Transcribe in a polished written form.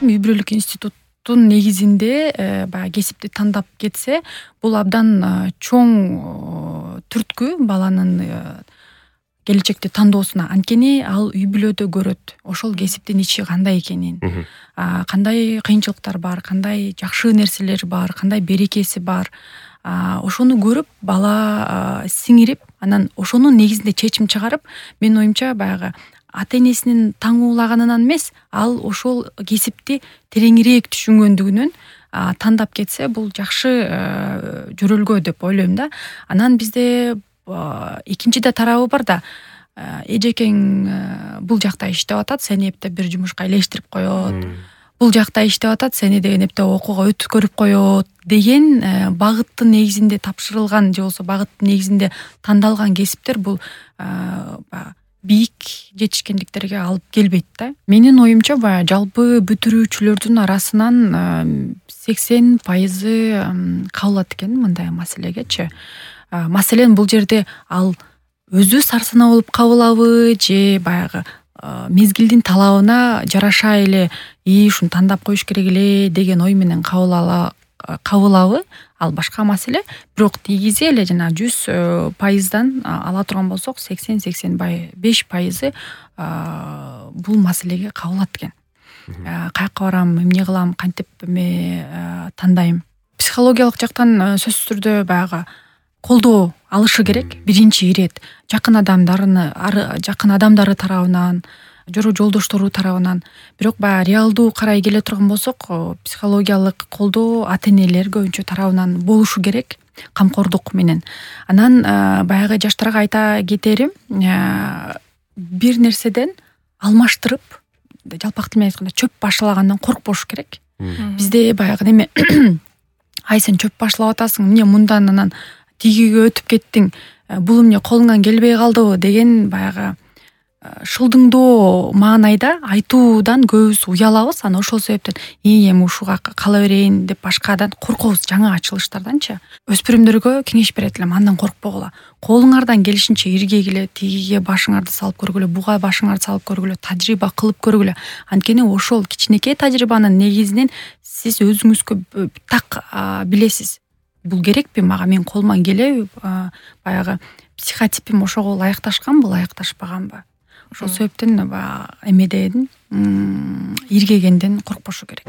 ойлойм үй бүлөлүк институттун негизинде баягы кесипти тандап кетсе, бул абдан чоң түрткү баланын келечекте тандоосуна. Анткени ал үй бүлөдө көрөт ошол кесиптин ичи кандай экенин, кандай кыйынчылыктар бар, кандай жакшы нерселер бар, кандай берекеси бар. Ошону көрүп бала сиңирип, анан ошонун негизинде чечим чыгарып, менин оюмча баягы ата энесинин таңуулаганынан эмес, ал ошол кесипти тереңирээк түшүнгөндүгүнөн тандап кетсе, бул жакшы жөрөлгө деп ойлойм да. Анан бизде экинчи да тарабы бар да. Эжекең бул жакта иштеп атат, сени эптеп бир жумушка илештирип коет. Бул жакта иштеп атат, сени деген эптеп окууга өткөрүп коет деген багыттын негизинде тапшырылган же болбосо багыттын негизинде тандалган кесиптер бул бийик жетишкендиктерге алып келбейт да. Менин оюмча баягы жалпы бүтүрүүчүлөрдүн арасынан 80% кабылат экен мындай маселегечи. Маселен бул жерде ал өзү сарсанаа болуп кабылабы же баягы мезгилдин талабына жараша эле ушуну тандап коюш керек эле деген ой менен кабылабы, ал башка маселе. Бирок негизи эле жана 100%дан ала турган болсок 80-85% бул маселеге кабылат экен. Каяка барам, эмне кылам, кантип тандайм. Психологиялык жактан сөзсүз түрдө баягы колдоо алышы керек. Биринчи ирет жакын адамдары тарабынан, жолдоштору тарабынан. Бирок баягы реалдуу карай келе турган болсок, психологиялык колдоо ата энелер көбүнчө тарабынан болушу керек, камкордук менен. Анан баягы жаштарга айта кетерим, бир нерседен алмаштырып, жалпак тил менен айтканда чөп башалагандан коркпош керек. Бизде баягы неме ай сен чөп башалап атасың, эмне мындан анан тигиге өтүп кеттиң, бул эмне колуңан келбей калдыбы деген баягы шылдыңдоо маанайда айтуудан көбүбүз уялабыз. Анан ошол себептен эми ушуга кала берейин деп башкадан коркобуз, жаңы ачылыштарданчы. Өспүрүмдөргө кеңеш берет элем, андан коркпогула. Колуңардан келишинче иргегиле, тигиге башыңарды салып көргүлө, буга башыңарды салып көргүлө, тажрыйба кылып көргүлө. Анткени ошол кичинекей тажрыйбанын негизинен сиз өзүңүзгө так билесиз. Бул керекпи мага, мен колуман келеби, баягы психотипим ошого ылайыкташканбы, ылайыкташпаганбы. Ошол себептен эмеден иргегенден коркпошу керек.